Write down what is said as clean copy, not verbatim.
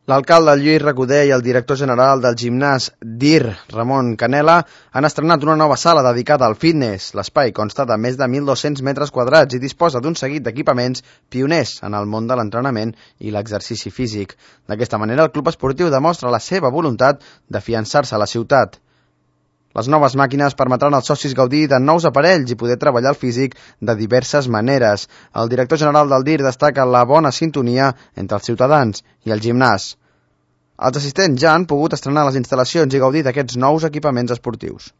L'alcalde Lluís Recoder i el director general del gimnàs DIR, Ramon Canela, han estrenat una nova sala dedicada al fitness. L'espai consta de més de 1.200 metres quadrats i disposa d'un seguit d'equipaments pioners en el món de l'entrenament i l'exercici físic. D'aquesta manera, el club esportiu demostra la seva voluntat d'afiançar-se a la ciutat. Les noves màquines permetran als socis gaudir de nous aparells i poder treballar el físic de diverses maneres. El director general del DIR destaca la bona sintonia entre els ciutadans i el gimnàs. Els assistents ja han pogut estrenar les instal·lacions i gaudir d'aquests nous equipaments esportius.